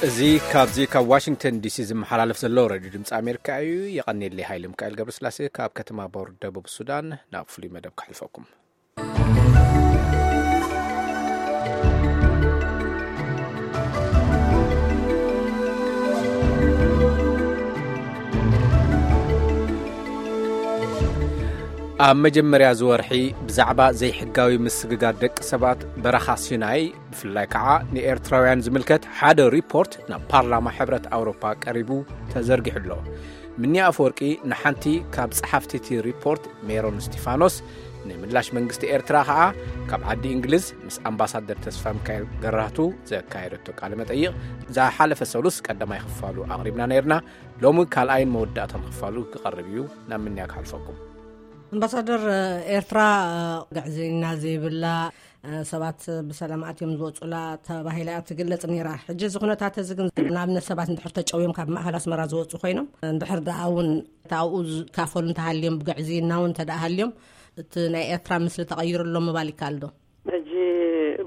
እዚ ካብዚ ካብ ዋሽንግተን ዲሲ ዝመሓላለፍ ዘሎ ሬድዮ ድምፂ ኣሜሪካ እዩ። የቐኔለይ ሃይለ ሚካኤል ገብረስላሴ ካብ ከተማ ቦር ደቡብ ሱዳን ናብ ፍሉይ መደብ ክሕልፈኩም። ኣብ መጀመርያ ዝወርሒ ብዛዕባ ዘይሕጋዊ ምስግጋር ደቂ ሰባት በረኻ ሲናይ፣ ብፍላይ ከዓ ንኤርትራውያን ዝምልከት ሓደ ሪፖርት ናብ ፓርላማ ሕብረት ኣውሮፓ ቀሪቡ ተዘርጊሑ ኣሎ። ምንያ ኣፈወርቂ ንሓንቲ ካብ ጸሓፍቲ እቲ ሪፖርት ሜሮን እስቲፋኖስ፣ ንምላሽ መንግስቲ ኤርትራ ከዓ ካብ ዓዲ እንግሊዝ ምስ ኣምባሳደር ተስፋ ሚካኤል ገራህቱ ዘካየደቶ ቃለ መጠይቕ ዝሓለፈ ሰሉስ ቀዳማይ ክፋሉ ኣቕሪብና ነይርና። ሎሚ ካልኣይን መወዳእታን ክፋሉ ክቐርብ እዩ። ናብ ምንያ ክሓልፈኩም። ኣምባሳደር፣ ኤርትራ ግዕዝይና ዘይብላ፣ ሰባት ብሰላም ኣትዮም ዝወፁላ ተባሂላ እያ ትግለጽ ነይራ። ሕጂ እዚ ኩነታት እዚ ግን ንኣብነት ሰባት እንድሕር ተጨውዮም ካብ ማእኸል ኣስመራ ዝወፁ ኮይኖም እንድሕር ደኣ እውን ኣብኡ ዝካፈሉ እንተሃልዮም ብግዕዝይና እውን እንተ ደኣ ሃልዮም እቲ ናይ ኤርትራ ምስሊ ተቐይሩ ኣሎ ምባል ይከኣል ዶ? ሕጂ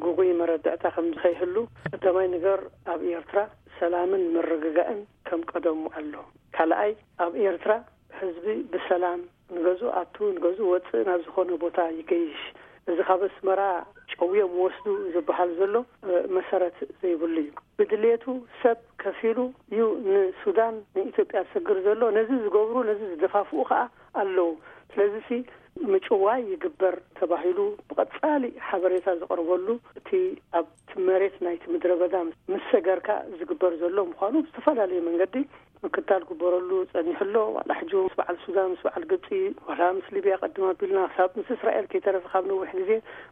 ግጉይ መረዳእታ ከም ዝኸይህሉ ቀዳማይ ነገር ኣብ ኤርትራ ሰላምን ምርግጋእን ከም ቀደሙ ኣሎ። ካልኣይ ኣብ ኤርትራ ህዝቢ ብሰላም ንገዝኡ ኣቱ ንገዝኡ ወፅእ ናብ ዝኾነ ቦታ ይገይሽ። እዚ ካብ ኣስመራ ጨውዮም ወስዱ ዝበሃል ዘሎ መሰረት ዘይብሉ እዩ። ብድሌቱ ሰብ ከፊሉ እዩ ንሱዳን ንኢትዮጵያ ዝሰግር ዘሎ። ነዚ ዝገብሩ ነዚ ዝደፋፍኡ ከዓ ኣለዉ። ስለዚሲ ምጭዋይ ይግበር ተባሂሉ ብቐጻሊ ሓበሬታ ዝቐርበሉ እቲ ኣብቲ መሬት ናይቲ ምድረ በዳ ምስ ሰገርካ ዝግበር ዘሎ ምዃኑ ብዝተፈላለየ መንገዲ ምክታል ግበረሉ ጸኒሑ ኣሎ። ዋላ ሕጂ ምስ በዓል ሱዳን፣ ምስ በዓል ግብጺ፣ ዋላ ምስ ሊብያ ቀድም ኣቢልና ክሳብ ምስ እስራኤል ከይተረፈ ካብ ነዊሕ ግዜ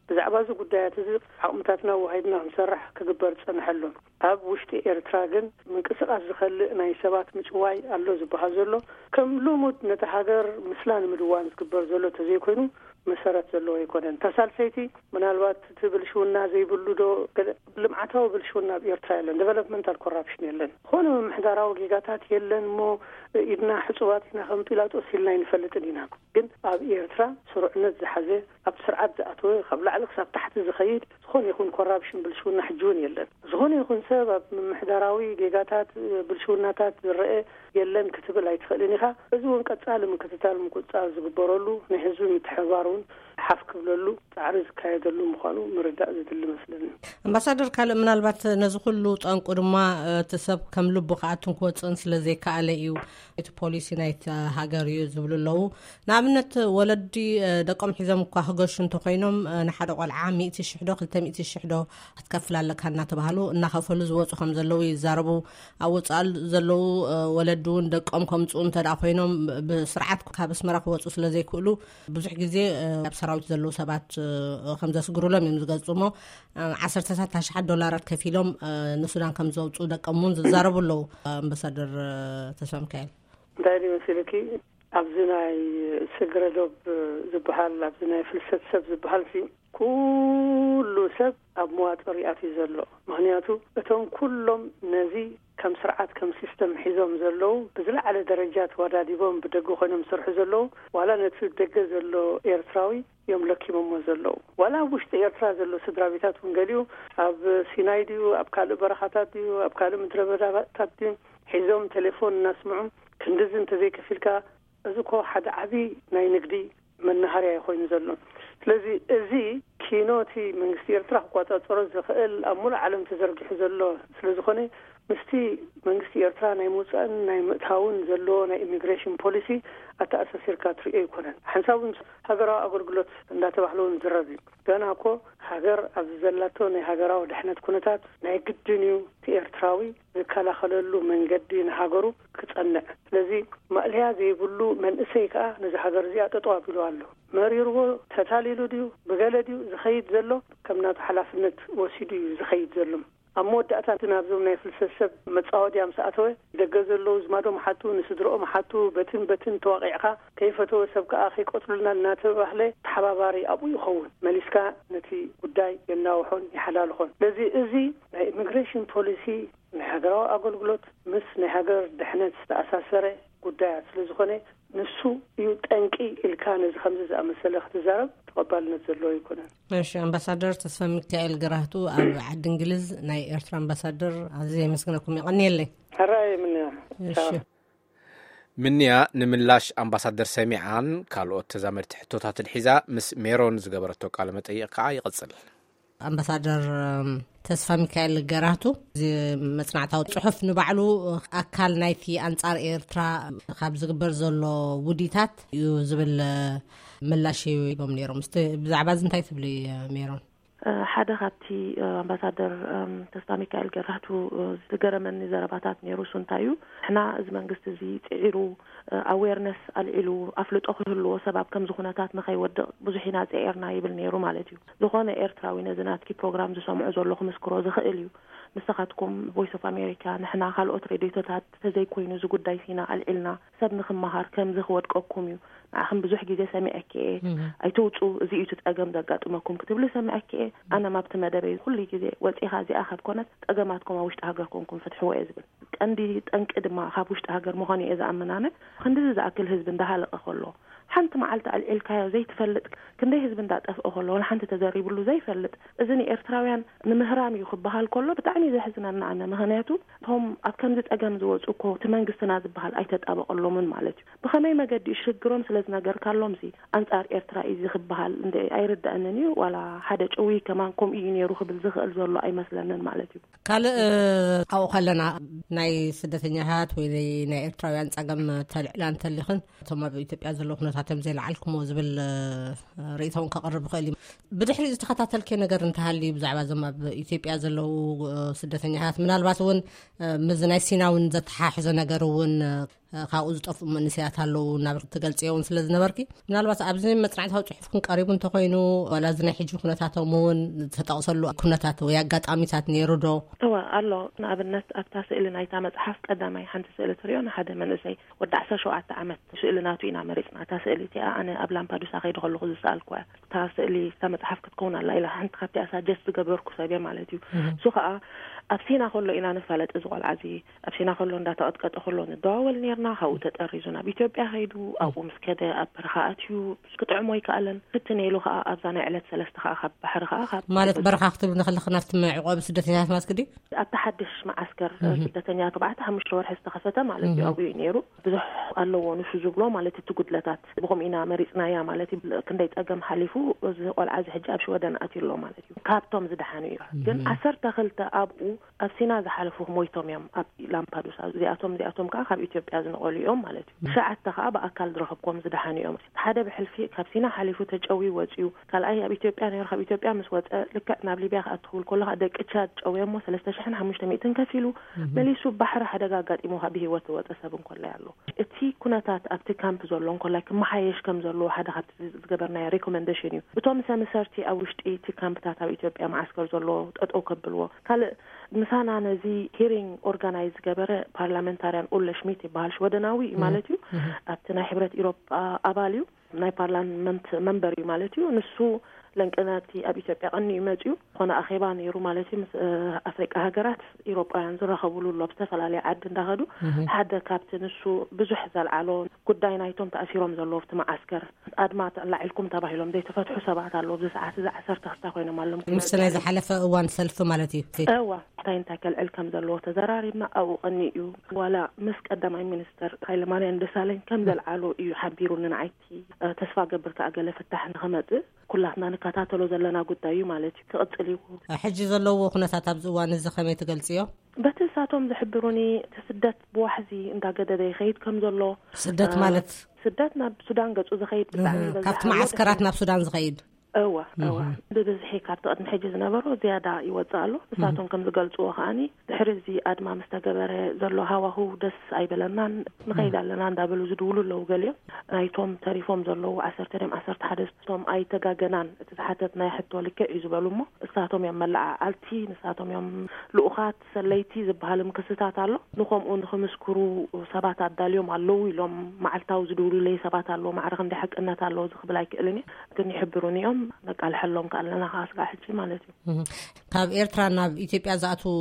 ብዛዕባ እዚ ጉዳያት እዚ ዓቕምታትና ኣዋሃሂድና ክንሰርሕ ክግበር ዝጸንሐ ኣሎ። ኣብ ውሽጢ ኤርትራ ግን ምንቅስቓስ ዝኸልእ ናይ ሰባት ምጭዋይ ኣሎ ዝበሃል ዘሎ ከም ልሙድ ነቲ ሃገር ምስላ ንምድዋን ዝግበር ዘሎ ተዘይኮይኑ መሰረት ዘለዎ ኣይኮነን። እታ ሳልሰይቲ ምናልባት እቲ ብልሽውና ዘይብሉ ዶ ገለ ልምዓታዊ ብልሽውና ኣብ ኤርትራ የለን፣ ዴቨሎፕመንታል ኮራፕሽን የለን። ዝኾነ ምምሕዳራዊ ጌጋታት የለን እሞ ኢድና ሕጹባት ኢና ከም ጲላጦስ ኢልና ኣይንፈልጥን ኢና። ግን ኣብ ኤርትራ ስሩዕነት ዝሓዘ ኣብቲ ስርዓት ዝኣተወ ካብ ላዕሊ ክሳብ ታሕቲ ዝኸይድ ዝኾነ ይኹን ኮራፕሽን ብልሽውና ሕጂ እውን የለን። ዝኾነ ይኹን ሰብ ኣብ ምምሕዳራዊ ጌጋታት ብልሽውናታት ዝረአ የለን ክትብል ኣይትኽእልን ኢኻ። እዚ እውን ቀጻሊ ምክትታል ምቁጽጻር ዝግበረሉ ናይ ህዝቢ ምትሕብባር እውን ሓፍ ክብለሉ ጻዕሪ ዝካየደሉ ምዃኑ ምርዳእ ዝድሊ መስለኒ። ኣምባሳደር ካልእ ምናልባት ነዚ ኩሉ ጠንቁ ድማ እቲ ሰብ ከም ልቡ ክኣቱን ክወፅእን ስለ ዘይከኣለ እዩ እቲ ፖሊሲ ናይቲ ሃገር እዩ ዝብሉ ኣለዉ። ንኣብነት ወለዲ ደቆም ሒዞም እኳ ክገሹ እንተኮይኖም ንሓደ ቆልዓ ሚእቲ ሽሕ ዶ ክልተ ሚእቲ ሽሕ ዶ ክትከፍል ኣለካ እናተባህሉ እናኸፈሉ ዝወፁ ከም ዘለዉ ይዛረቡ። ኣብ ወፃኢ ዘለዉ ወለዲ እውን ደቆም ከምፅኡ እንተ ደኣ ኮይኖም ብስርዓት ካብ ኣስመራ ክወፁ ስለ ዘይክእሉ ብዙሕ ግዜ ኣብ ሰራዊት ዘለዉ ሰባት ከም ዘስግሩሎም እዮም ዝገልፁ እሞ ዓሰርተታት ኣሽሓት ዶላራት ከፊሎም ንሱዳን ከም ዘውፅኡ ደቆም እውን ዝዛረቡ ኣለዉ። ኣምባሳደር ተስፋ ሚካኤል እንታይ ድዩ መሲልኪ? ኣብዚ ናይ ስግረ ዶብ ዝበሃል ኣብዚ ናይ ፍልሰት ሰብ ዝበሃል ሲ ኩሉ ሰብ ኣብ መዋጥር ይኣትዩ ዘሎ። ምክንያቱ እቶም ኩሎም ነዚ ከም ስርዓት ከም ሲስተም ሒዞም ዘለዉ ብዝለዓለ ደረጃ ተወዳዲቦም ብደገ ኮይኖም ዝሰርሑ ዘለዉ ዋላ ነቲ ደገ ዘሎ ኤርትራዊ እዮም ለኪሞሞ ዘለዉ። ዋላ ኣብ ውሽጢ ኤርትራ ዘሎ ስድራ ቤታት እውን ገሊኡ ኣብ ሲናይ ድዩ ኣብ ካልእ በረኻታት ድዩ ኣብ ካልእ ምድረ በዳታት ድዩ ሒዞም ቴሌፎን እናስምዑ ክንድዚ እንተዘይከፊልካ እዚ እኮ ሓደ ዓቢ ናይ ንግዲ መናሃርያ እዩ ኮይኑ ዘሎ። ስለዚ እዚ ኪኖ እቲ መንግስቲ ኤርትራ ክቆጻጸሮ ዝኽእል ኣብ ሙሉእ ዓለም ተዘርጊሑ ዘሎ ስለ ዝኾነ ምስቲ መንግስቲ ኤርትራ ናይ ምውጻእን ናይ ምእታውን ዘለዎ ናይ ኢሚግሬሽን ፖሊሲ ኣተኣሳሲርካ ትርእዮ ኣይኮነን። ሓንሳብ እውን ሃገራዊ ኣገልግሎት እንዳተባህለ እውን ዝረብ እዩ። ገና እኮ ሃገር ኣብዚ ዘላቶ ናይ ሃገራዊ ድሕነት ኩነታት ናይ ግድን እዩ እቲ ኤርትራዊ ዝከላኸለሉ መንገዲ ንሃገሩ ክጸንዕ። ስለዚ ማእለያ ዘይብሉ መንእሰይ ከኣ ነዚ ሃገር እዚኣ ጠጠው ኣቢሉ ኣሎ። መሪርዎ ተታሊሉ ድዩ ብገለ ድዩ ዝኸይድ ዘሎ ከም ናቱ ሓላፍነት ወሲዱ እዩ ዝኸይድ ዘሎ። ኣብ መወዳእታ እቲ ናብዞም ናይ ፍልሰት ሰብ መጻወድያ ምስ ኣተወ ደገ ዘለዉ ዝማዶም ሓቱ ንስድርኦም ሓቱ በትን በትን ተዋቒዕካ ከይፈተወ ሰብ ከኣ ከይቀትሉልና እናተባህለ ተሓባባሪ ኣብኡ ይኸውን። መሊስካ ነቲ ጉዳይ የናውሖን ይሓላልኾን። ስለዚ እዚ ናይ ኢሚግሬሽን ፖሊሲ ናይ ሃገራዊ ኣገልግሎት ምስ ናይ ሃገር ድሕነት ዝተኣሳሰረ ጉዳያት ስለ ዝኾነ፣ ንሱ እዩ ጠንቂ ኢልካ ነዚ ከምዚ ዝኣመሰለ ክትዛረብ ተቐባልነት ዘለዎ ኣይኮነን። እሺ፣ ኣምባሳደር ተስፋ ሚካኤል ገራህቱ፣ ኣብ ዓዲ እንግሊዝ ናይ ኤርትራ ኣምባሳደር፣ ኣዝየ የመስግነኩም። የቐንየለይ። ሕራይ ምንያ። እሺ። ምንያ ንምላሽ ኣምባሳደር ሰሚዓን ካልኦት ተዛመድቲ ሕቶታትን ሒዛ ምስ ሜሮን ዝገበረቶ ቃለ መጠይቕ ከዓ ይቕጽል። ኣምባሳደር፣ እም፣ ተስፋ ሚካኤል ገራህቱ፣ እዚ መጽናዕታዊ ጽሑፍ ንባዕሉ ኣካል ናይቲ ኣንጻር ኤርትራ ካብ ዝግበር ዘሎ ውዲታት እዩ ዝብል ምላሽ ሂቦም ነይሮም። እስቲ ብዛዕባ እዚ እንታይ ትብሊ፣ ሜሮን? ሓደ ካብቲ ኣምባሳደር ተስፋ ሚካኤል ገራህቱ ዝገረመኒ ዘረባታት ነይሩ። እሱ እንታይ እዩ፣ ንሕና እዚ መንግስቲ እዚ ጽዒሩ፣ ኣዌርነስ ኣልዒሉ፣ ኣፍልጦ ክህልዎ፣ ሰብ ኣብ ከምዚ ኩነታት ንኸይወድቕ ብዙሕ ኢና ጽዒርና ይብል ነይሩ ማለት እዩ። ዝኾነ ኤርትራዊ ነዚ ናትኪ ፕሮግራም ዝሰምዑ ዘሎ ክምስክሮ ዝኽእል እዩ። ንስኻትኩም ቮይስ ኦፍ ኣሜሪካ፣ ንሕና ካልኦት ሬድዮታት ተዘይኮይኑ እዚ ጉዳይ ሲና ኣልዒልና ሰብ ንክመሃር ከምዚ ክወድቀኩም እዩ። ንዓኽን ብዙሕ ግዜ ሰሚዐኪ እየ። ኣይትውፁ፣ እዚ እዩ እቲ ፀገም ዘጋጥመኩም ክትብሊ ሰሚዐኪ እየ። ኣነ ማብቲ መደበይ ኩሉ ግዜ ወፂኻ እዚኣ ካብ ኮነት ፀገማትኩም ኣብ ውሽጢ ሃገር ኮንኩም ፍትሕዎ እየ ዝብል። ቀንዲ ጠንቂ ድማ ካብ ውሽጢ ሃገር ምዃኑ እየ ዝኣምን። ኣነ ክንድዚ ዝኣክል ህዝቢ እንዳሃለቀ ከሎ ሓንቲ መዓልቲ ኣልዒልካዮ ዘይትፈልጥ ክንደይ ህዝቢ እንዳጠፍኦ ከሎ ሓንቲ ተዘሪብሉ ዘይፈልጥ፣ እዚ ንኤርትራውያን ንምህራም እዩ ክበሃል ከሎ ብጣዕሚ እዩ ዘሕዝነና። ኣነ ምኽንያቱ እቶም ኣብ ከምዚ ጸገም ዝወፁ እኮ እቲ መንግስትና ዝበሃል ኣይተጣበቀሎምን ማለት እዩ። ብኸመይ መገዲ እዩ ሽግሮም ስለ ዝነገርካሎም ሲ ኣንጻር ኤርትራ እዩ እዚ ክበሃል እንደ ኣይርዳእንን እዩ። ዋላ ሓደ ጭዊ ከማን ከምኡ እዩ ነይሩ ክብል ዝኽእል ዘሎ ኣይመስለንን ማለት እዩ። ካልእ ኣብኡ ከለና ናይ ስደተኛታት ወይ ናይ ኤርትራውያን ጸገም ተልዕላ እንተሊኽን እቶም ኣብ ኢትዮጵያ ዘለዉ ኩነታት እዮም ዘይለዓልኩሞ ዝብል ርእይቶ እውን ከቕርብ ይኽእል እዩ። ብድሕሪ ዝተኸታተልኪ ነገር እንተሃልዩ ብዛዕባ እዞም ኣብ ኢትዮጵያ ዘለዉ ስደተኛታት ምናልባት እውን ምዚ ናይ ሲና እውን ዘተሓሕዞ ነገር እውን ካብኡ ዝጠፍኡ መንእሰያት ኣለዉ እናበልክ ትገልጽዮ እውን ስለ ዝነበርኪ ምናልባት ኣብዚ መጽናዕታዊ ጽሑፍክን ቀሪቡ እንተኾይኑ ዋላ እዚ ናይ ሕጂ ኩነታቶም እውን ዝተጠቕሰሉ ኩነታት ወይ ኣጋጣሚታት ነይሩ ዶ? እወ ኣሎ። ንኣብነት ኣብታ ስእሊ ናይታ መጽሓፍ ቀዳማይ ሓንቲ ስእሊ ትሪኦ ንሓደ መንእሰይ ወዲ ዓሰርተ ሸውዓተ ዓመት ስእሊ ናቱ ኢና መሪጽና። እታ ስእሊ እቲኣ ኣነ ኣብ ላምፓዱሳ ከይደ ከለኹ ዝሰኣልኩዋ እያ። እታ ስእሊ እታ መጽሓፍ ክትከውን ኣላ ኢላ ሓንቲ ካብቲ ኣሳጀስት ዝገበርኩ ሰብ እየ ማለት እዩ። እሱ ከዓ ኣብ ሲና ከሎ ኢና ንፋለጥ። እዚ ቆልዓ እዚ ኣብ ሲና ከሎ እንዳተቐጥቀጠ ከሎ ንደዋወል ነርና። ካብኡ ተጠሪዙ ናብ ኢትዮጵያ ከይዱ ኣብኡ ምስ ከደ ኣብ በረኻ ኣትዩ ክጥዕሞ ኣይከኣለን። ፍትን ኢሉ ከዓ ኣብዛ ናይ ዕለት ሰለስተ ከዓ ካብ ባሕሪ ከዓ ካብ ማለት በረኻ ክትብል ንክልክ ናብቲ መዕቆቢ ስደተኛታት ማለት ክዲ ኣብቲ ሓድሽ መዓስከር ስደተኛ ተባዕተ ሓሙሽተ ወርሒ ዝተኸፈተ ማለት እዩ። ኣብኡ እዩ ነይሩ። ብዙሕ ኣለዎ ንሱ ዝብሎ ማለት እቲ ጉድለታት ብኸምኡ ኢና መሪፅናያ ማለት እዩ። ክንደይ ፀገም ሓሊፉ እዚ ቆልዓ እዚ ሕጂ ኣብ ሽወደን ኣትዩ ኣሎ ማለት እዩ። ካብቶም ዝደሓኑ እዩ። ግን ዓሰርተ ክልተ ኣብኡ ኣብ ሲና ዝሓለፉ ሞይቶም እዮም ኣብ ላምፓዱሳ። እዚኣቶም እዚኣቶም ከዓ ካብ ኢትዮጵያ ዝነቐሉ እዮም ማለት እዩ። ትሽዓተ ከዓ ብኣካል ዝረኸብኩም ዝደሓኑ እዮም። ሓደ ብሕልፊ ካብ ሲና ሓሊፉ ተጨውዩ ወፅዩ። ካልኣይ ኣብ ኢትዮጵያ ነይሩ። ካብ ኢትዮጵያ ምስ ወፀ ልክዕ ናብ ሊብያ ክኣቱ ክብል ከሎ ከዓ ደቂ ቻድ ጨውዮሞ ሰለስተ ሽሕን ሓሙሽተ ሚእትን ከፊሉ መሊሱ ባሕሪ ሓደጋ ኣጋጢሞ ከዓ ብህይወት ዝወፀ ሰብ እንኮላይ ኣሎ። እቲ ኩነታት ኣብቲ ካምፕ ዘሎ እንኮላይ ክመሓየሽ ከም ዘለዎ ሓደ ካብቲ ዝገበርናዮ ሪኮመንዴሽን እዩ። እቶም ሰምሰርቲ ኣብ ውሽጢ እቲ ካምፕታት ኣብ ኢትዮጵያ መዓስከር ዘሎ ጠጠው ከብልዎ። ካልእ ምሳና ነዚ ሂሪንግ ኦርጋናይዝ ዝገበረ ፓርላመንታርያን ኡለ ሽሚት ይበሃል፣ ሽወደናዊ እዩ ማለት እዩ። ኣብቲ ናይ ሕብረት ኢሮጳ ኣባል እዩ፣ ናይ ፓርላመንት መንበር እዩ ማለት እዩ። ንሱ ለንቅነቲ ኣብ ኢትዮጵያ ቀኒ እዩ መፅዩ። ዝኾነ ኣኼባ ነይሩ ማለት እዩ። ምስ ኣፍሪቃ ሃገራት ኢሮጳውያን ዝራኸብሉ ኣሎ፣ ኣብ ዝተፈላለየ ዓዲ እንዳኸዱ። ሓደ ካብቲ ንሱ ብዙሕ ዘልዓሎ ጉዳይ ናይቶም ተኣሲሮም ዘለዉ ኣብቲ መዓስከር ኣድማ ተላዒልኩም ተባሂሎም ዘይተፈትሑ ሰባት ኣለዉ። ኣብዚ ሰዓት እዚ ዓሰርተ ክስታ ኮይኖም ኣለዉ። ምስቲ ናይ ዝሓለፈ እዋን ሰልፊ ማለት እዩ። እዋ እንታይ እንታይ ከልዕል ከም ዘለዎ ተዘራሪብና ኣብኡ ቀኒ እዩ። ዋላ ምስ ቀዳማይ ሚኒስተር ሃይለማርያም ደሳለኝ ከም ዘልዓሎ እዩ ሓቢሩኒ። ንዓይቲ ተስፋ ገብር ከዓ ገለ ፍታሕ ንክመፅእ ኩላትና ንከታተሎ ዘለና ጉዳይ እዩ ማለት እዩ። ክቕፅል እዩ። ሕጂ ዘለዎ ኩነታት ኣብዚ እዋን እዚ ከመይ ትገልፅዮ? በቲ ንሳቶም ዝሕብሩኒ እቲ ስደት ብዋሕዚ እንዳገደደ ይኸይድ ከም ዘሎ። ስደት ማለት? ስደት ናብ ሱዳን ገፁ ዝኸይድ ብጣዕሚ ይበዝሕ ካብቲ ኣሎ። መዓስከራት ናብ ሱዳን ዝኸይድ? እዋ እዋ፣ ብብዝሒ ካብቲ ቅድሚ ሕጂ ዝነበሮ ዝያዳ ይወፅእ ኣሎ። ንሳቶም ከም ዝገልፅዎ ከዓኒ ድሕሪ እዚ ኣድማ ምስ ተገበረ ዘሎ ሃዋህው ደስ ኣይበለናን፣ ንኸይድ ኣለና እንዳበሉ ዝድውሉ ኣለዉ። ገሊኦም ናይቶም ተሪፎም ዘለዉ ዓሰርተ ድዮም ዓሰርተ ሓደ እቶም ኣይተጋገናን፣ እቲ ዝሓተትናዮ ሕቶ ልክዕ እዩ ዝበሉ እሞ እሳቶም እዮም መለዓዓልቲ፣ ንሳቶም እዮም ልኡኻት ሰለይቲ ዝበሃልም ክስታት ኣሎ። ንኸምኡ ንክምስክሩ ሰባት ኣዳልዮም ኣለዉ ኢሎም መዓልታዊ ዝድውሉለይ ሰባት ኣለዉ። ማዕረ ክንደይ ሓቅነት ኣለዎ እዚ ክብል ኣይክእልን እየ፣ ግን ይሕብሩኒ እዮም። ነቃልሐሎም ከኣለና ከዓ ስጋዕ ሕጂ ማለት እዩ። ካብ ኤርትራ ናብ ኢትዮጵያ ዝኣትዉ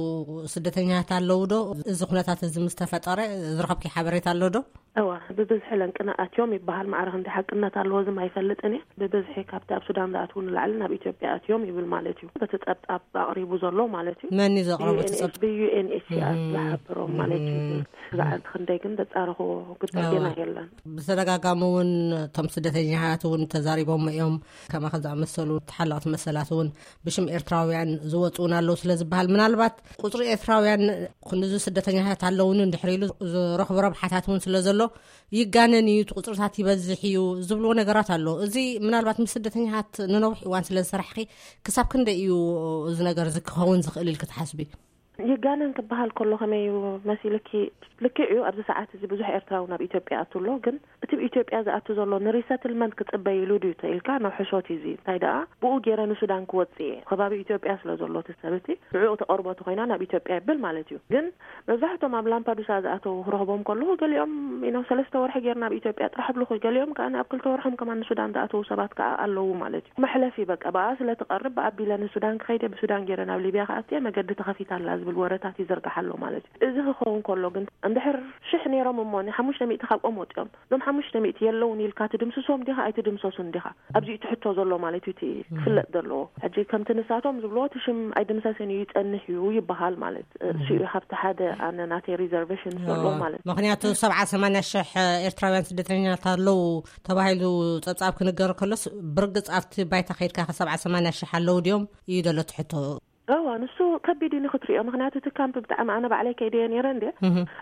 ስደተኛታት ኣለዉ ዶ? እዚ ኩነታት እዚ ምስ ተፈጠረ ዝረኸብኪ ሓበሬታ ኣሎ ዶ? እዋ፣ ብብዝሒ ለንቅነ ኣትዮም ይበሃል። ማዕረ ክንዲ ሓቅነት ኣለዎ ዝም ኣይፈልጥን እየ። ብብዝሒ ካብቲ ኣብ ሱዳን ዝኣትዉ ንላዕሊ ናብ ኢትዮጵያ ኣትዮም ይብል ማለት እዩ። በቲ ጸብጻብ ኣቕሪቡ ዘሎ ማለት እዩ። መን እዩ ዘቕረቦ እቲ ጸብጻብ? ብዩ ኤን ኤች ሲ ኣር ዝሓበሮም ማለት እዩ። ብዛዕባ ክንደይ ግን ዘጻረኹ ጉዳይ ገና የለን። ብተደጋጋሚ እውን እቶም ስደተኛታት እውን ተዛሪቦም እዮም። ከማኻ ዝኣመሰሉ ተሓለቕቲ መሰላት እውን ብሽም ኤርትራውያን ዝወፁ እውን ኣለዉ ስለ ዝበሃል፣ ምናልባት ቁፅሪ ኤርትራውያን ክንዚ ስደተኛታት ኣለውኒ እንድሕር ኢሉ ዝረኽቦ ረብሓታት እውን ስለ ዘሎ ይጋነን እዩ፣ እቲ ቁፅርታት ይበዝሕ እዩ ዝብልዎ ነገራት ኣሎ። እዚ ምናልባት ምስ ስደተኛታት ንነዊሕ እዋን ስለ ዝሰራሕኺ ክሳብ ክንደይ እዩ እዚ ነገር እዚ ክኸውን ዝኽእል ኢልኪ ትሓስቢ? ይጋነን ክበሃል ከሎ ከመይ እዩ መሲልኪ? ልክዕ እዩ፣ ኣብዚ ሰዓት እዚ ብዙሕ ኤርትራዊ ናብ ኢትዮጵያ ኣቱ ኣሎ። ግን እቲ ብኢትዮጵያ ዝኣቱ ዘሎ ንሪሰትልመንት ክጽበይ ኢሉ ድዩ ተኢልካ ናብ ሕሾት እዩ። እዚ እንታይ ደኣ ብኡ ገይረ ንሱዳን ክወጽእ እየ፣ ከባቢ ኢትዮጵያ ስለ ዘሎ እቲ ሰብ እቲ ንዕኡ ተቐርቦ ተኾይና ናብ ኢትዮጵያ ይብል ማለት እዩ። ግን መብዛሕቶም ኣብ ላምፓዱሳ ዝኣተው ክረኽቦም ከለኹ ገሊኦም ኢኖ ሰለስተ ወርሒ ገይርና ኣብ ኢትዮጵያ ጥራሕ ብልኹ፣ ገሊኦም ከኣ ኣብ ክልተ ወርሖም ከማን ንሱዳን ዝኣተው ሰባት ከኣ ኣለዉ ማለት እዩ። መሕለፊ በቃ ብኣ ስለ ትቐርብ ብኣቢለ ንሱዳን ክኸይደ ብሱዳን ገይረ ናብ ሊብያ ክኣትየ መገዲ ተኸፊታ ኣላ ዝብል ወረታት ይዝርጋሕ ኣሎ ማለት እዩ። እዚ ክኸውን ከሎ ግን እንድሕር ሽሕ ነይሮም እሞ ንሓሙሽተ ሚእቲ ካብኦም ወፂኦም፣ እዞም ሓሙሽተ ሚእቲ የለውን ኢልካ ትድምስሶም ዲኻ ኣይትድምሰሱን ዲኻ? ኣብዚ እዩ እቲ ሕቶ ዘሎ ማለት እዩ፣ እቲ ክፍለጥ ዘለዎ። ሕጂ ከምቲ ንሳቶም ዝብልዎ እቲ ሽም ኣይድምሰስን እዩ ይጸንሕ እዩ ይበሃል ማለት እሱ እዩ። ካብቲ ሓደ ኣነ ናተይ ሪዘርቬሽን ዘሎ ማለት እዩ። ምክንያቱ ሰብዓ ሰማንያ ሽሕ ኤርትራውያን ስደተኛታት ኣለዉ ተባሂሉ ጸብጻብ ክንገር ከሎስ ብርግጽ ኣብቲ ባይታ ከይድካ ከ ሰብዓ ሰማንያ ሽሕ ኣለዉ ድዮም እዩ ዘሎ እቲ ሕቶ። እዋ ንሱ ከቢድ እዩ ንክትሪኦ፣ ምክንያቱ እቲ ካምፕ ብጣዕሚ ኣነ ባዕለይ ከይደየ ነይረ እንደ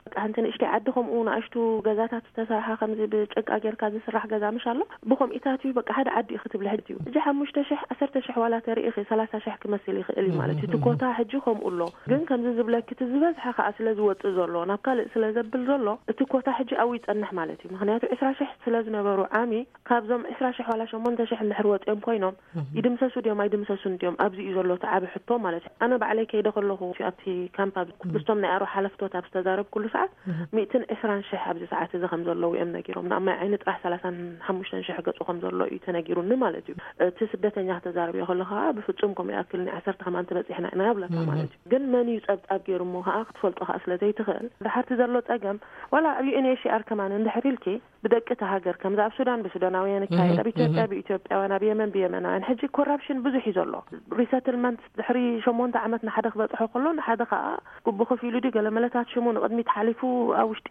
በቃ ሓንቲ ንእሽተይ ዓዲ ከምኡ ንኣሽቱ ገዛታት ዝተሰርሓ ከምዚ ብጭቃ ጌርካ ዝስራሕ ገዛ ምሽ ኣሎ ብከምኢታት እዩ በቃ ሓደ ዓዲ እዩ ክትብል ሕድ እዩ። እዚ ሓሙሽተ ሽሕ ዓሰርተ ሽሕ ዋላ ተርኢ ሰላሳ ሽሕ ክመስል ይኽእል እዩ ማለት እዩ። እቲ ኮታ ሕጂ ከምኡ ኣሎ። ግን ከምዚ ዝብለኪ እቲ ዝበዝሐ ከዓ ስለ ዝወፅእ ዘሎ ናብ ካልእ ስለ ዘብል ዘሎ እቲ ኮታ ሕጂ ኣብኡ ይፀንሕ ማለት እዩ። ምክንያቱ ዕስራ ሽሕ ስለ ዝነበሩ ዓሚ ካብዞም ዕስራ ሽሕ ዋላ ሸሞንተ ሽሕ እንድሕር ወፂኦም ኮይኖም ይድምሰሱ ድዮም ኣይድምሰሱን ድዮም ኣብዚ እዩ ዘሎ እቲ ዓቢ ሕቶ ማለት እዩ። ኣነ ባዕለይ ከይደ ከለኹ ኣብቲ ካምፕ ምስቶም ናይ ኣሮ ሓለፍቶት ኣብ ዝተዛረብኩሉ ሰዓት ሚእትን ዕስራን ሽሕ ኣብዚ ሰዓት እዚ ከም ዘለዉ እዮም ነጊሮም። ንኣማይ ዓይኒ ጥራሕ ሰላሳን ሓሙሽተን ሽሕ ገፁ ከም ዘሎ እዩ ተነጊሩኒ ማለት እዩ። እቲ ስደተኛ ክተዛረብዮ ከሎ ከዓ ብፍፁም ከምኡ ይኣክል ናይ ዓሰርተ ከማን ተበፂሕና ኢና ይብለካ ማለት እዩ። ግን መን እዩ ፀብፃብ ገይሩ እሞ ከዓ ክትፈልጦ ከዓ ስለ ዘይትኽእል ድሓርቲ ዘሎ ፀገም ዋላ ኣብ ዩ ኤን ኤች ሲ ኣር ከማን እንድሕር ኢልኪ ብደቂ እቲ ሃገር ከምዚ ኣብ ሱዳን ብሱዳናውያን ይካየድ ኣብ ኢትዮጵያ ብኢትዮጵያውያን ኣብ የመን ብየመናውያን ሕጂ ኮራፕሽን ብዙሕ እዩ ዘሎ። ሪሰትልመንት ድሕሪ ሸሞንተ ዓመት ንሓደ ክበፅሖ ከሎ ንሓደ ከዓ ግቡ ከፊሉ ድዩ ገለ መለታት ሽሙ ንቕድሚት ሓሊፉ ኣብ ውሽጢ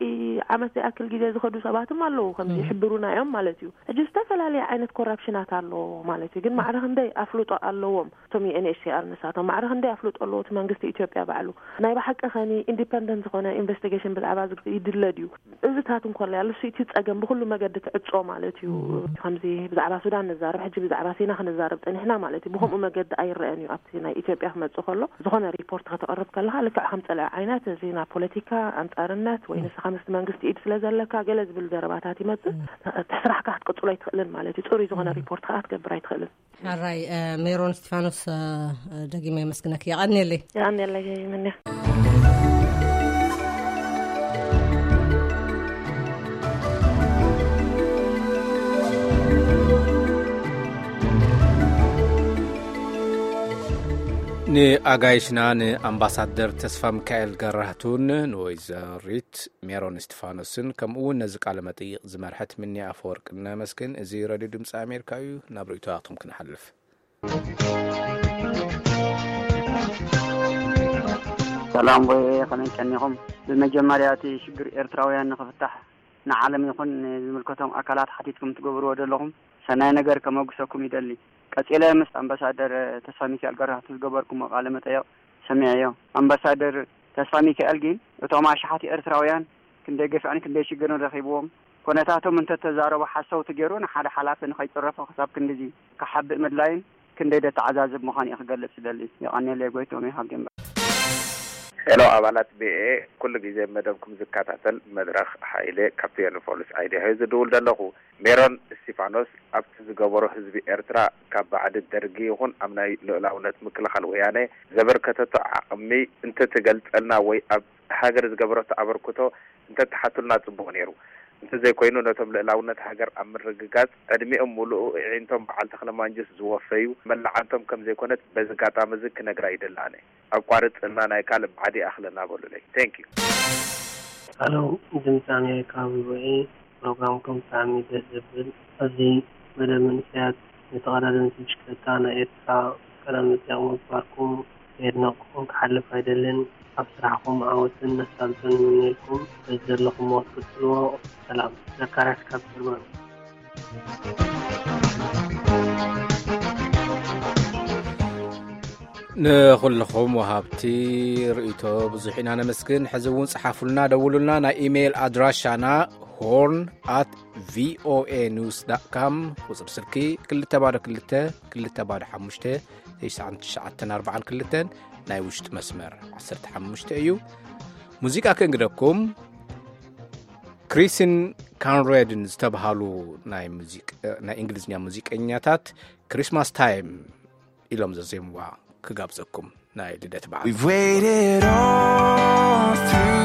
ዓመት ዘይኣክል ግዜ ዝኸዱ ሰባትም ኣለዉ ከምዚ ይሕብሩና እዮም ማለት እዩ። ሕጂ ዝተፈላለየ ዓይነት ኮራፕሽናት ኣሎ ማለት እዩ። ግን ማዕረ ክንደይ ኣፍልጦ ኣለዎም እቶም ዩ ኤን ኤች ሲ ኣር ንሳቶም ማዕረ ክንደይ ኣፍልጦ ኣለዎ እቲ መንግስቲ ኢትዮጵያ ባዕሉ ናይ ብሓቂ ከኒ ኢንዲፐንደንት ዝኾነ ኢንቨስቲጌሽን ብዛዕባ እዚ ይድለ ድዩ? እዚታት እንኮላ ያሉ እቲ ጸገም ብኩሉ መገዲ ትዕጾ ማለት እዩ። ከምዚ ብዛዕባ ሱዳን ንዛረብ ሕጂ ብዛዕባ ሲና ክንዛረብ ጸኒሕና ማለት እዩ። ብከምኡ መገዲ ኣይረአን እዩ። ኣብቲ ናይ ኢትዮጵያ ክመጽእ ከሎ ዝኾነ ሪፖርት ከተቕርብ ከለኻ ልክዕ ከም ጸላኢ ዓይነት እዚ ናብ ፖለቲካ ኣንጻርነት ወይ ንስኻ ምስቲ መንግስቲ ኢድ ስለ ዘለካ ገለ ዝብል ዘረባታት ይመጽእ። እቲ ስራሕካ ክትቅጽሎ ኣይትኽእልን ማለት እዩ። ጽሩይ ዝኾነ ሪፖርት ከዓ ክትገብር ኣይትኽእልን። ሓራይ ሜሮን እስቲፋኖስ፣ ደጊመ የመስግነክ። የቐንየለይ። የቐንየለይ። ንኣጋይሽና ንኣምባሳደር ተስፋ ሚካኤል ገራህቱን ንወይዘሪት ሜሮን እስቲፋኖስን ከምኡ እውን ነዚ ቃለ መጠይቕ ዝመርሐት ምኒ ኣፈወርቅ ነመስግን። እዚ ሬድዮ ድምፂ ኣሜሪካ እዩ። ናብ ርእይቶታትኩም ክንሓልፍ። ሰላም ወይ ከመይ ቀኒኹም? ብመጀመርያ እቲ ሽግር ኤርትራውያን ንኽፍታሕ ንዓለም ይኹን ንዝምልከቶም ኣካላት ሓቲትኩም ትገብርዎ ዘለኹም ሰናይ ነገር ከመጉሰኩም ይደሊ። ቀጺለ ምስ ኣምባሳደር ተስፋ ሚካኤል ገራህቱ ዝገበርኩሞ ቃለ መጠየቕ ሰሚዐዮ። ኣምባሳደር ተስፋ ሚካኤል ግን እቶም ኣሽሓት ኤርትራውያን ክንደይ ገፍዕን ክንደይ ሽግርን ረኺብዎም ኩነታቶም እንተተዛረቡ ሓሰውቲ ገይሩ ንሓደ ሓላፊ ንኸይጽረፎ ክሳብ ክንድዚ ክሓብእ ምድላይን ክንደይ ደተዓዛዝብ ምዃኑ እየ ክገልጽ ዝደሊ። የቐንየለይ ጎይትኦም እየ ካብ ዴንቨር። ሄሎ ኣባላት ቢኤ፣ ኩሉ ግዜ መደብኩም ዝከታተል መድረኽ ሓይሌ ካብ ቴሌፎንስ ኣይዲያ እየ ዝድውል ዘለኹ። ሜሮን እስቲፋኖስ ኣብቲ ዝገበሮ ህዝቢ ኤርትራ ካብ ባዕዲ ደርጊ ይኹን ኣብ ናይ ልኡላውነት ምክልኻል ወያነ ዘበርከተቶ ዓቕሚ እንተትገልጸልና ወይ ኣብ ሃገር ዝገበረቶ ኣበርክቶ እንተትሓቱልና ጽቡቕ ነይሩ። እንተዘይኮይኑ ነቶም ልእላውነት ሃገር ኣብ ምርግጋጽ ዕድሚኦም ሙሉኡ እዒንቶም በዓል ተኽለማንጁስ ዝወፈዩ መላዓንቶም ከምዘይኮነት በዚ ጋጣሚ እዚ ክነግራ ይደሊ ኣነ። ኣቋርጽልና ናይ ካልእ ባዕዲ ይኣኽለና በሉለይ። Thank you። ኣሎ። ድምፂ ኣሜሪካ ቪኦኤ፣ ፕሮግራምኩም ብጣዕሚ ደስ ዘብል። ኣብዚ መደብ መንእሰያት ንተቐዳደምቲ ብሽክለታ ናይ ኤርትራ ቀዳም መፅያቕ ምግባርኩም የድነቕኩም ክሓልፍ ኣይደልን። ኣብ ስራሕኩም ዓወትን መሳልጦን ይምነየልኩም። በዚ ዘለኹምዎ ክትቅፅልዎ። ሰላም። ዘካርያስ ካብ ጀርመን። ንኹልኹም ወሃብቲ ርእይቶ ብዙሕ ኢና ነመስግን። ሕዚ እውን ጸሓፉልና፣ ደውሉልና። ናይ ኢሜይል ኣድራሻና ሆርን ኣት ቪኦኤ ኒውስ ዳት ካም፣ ቁጽሪ ስልኪ ክልተ ባዶ ክልተ ክልተ ባዶ ሓሙሽተ ትሽዓን ትሽዓተን ኣርባዓን ክልተን፣ ናይ ውሽጢ መስመር ዓሰርተ ሓሙሽተ እዩ። ሙዚቃ ክንግደኩም። ክሪስን ካንሬድን ዝተብሃሉ ናይ ሙዚቅ-፣ ናይ እንግሊዝኛ ሙዚቀኛታት ክሪስማስ ታይም ኢሎም ዘዜምዋ ክጋብዘኩም፣ ናይ ልደት በዓል። We've waited all through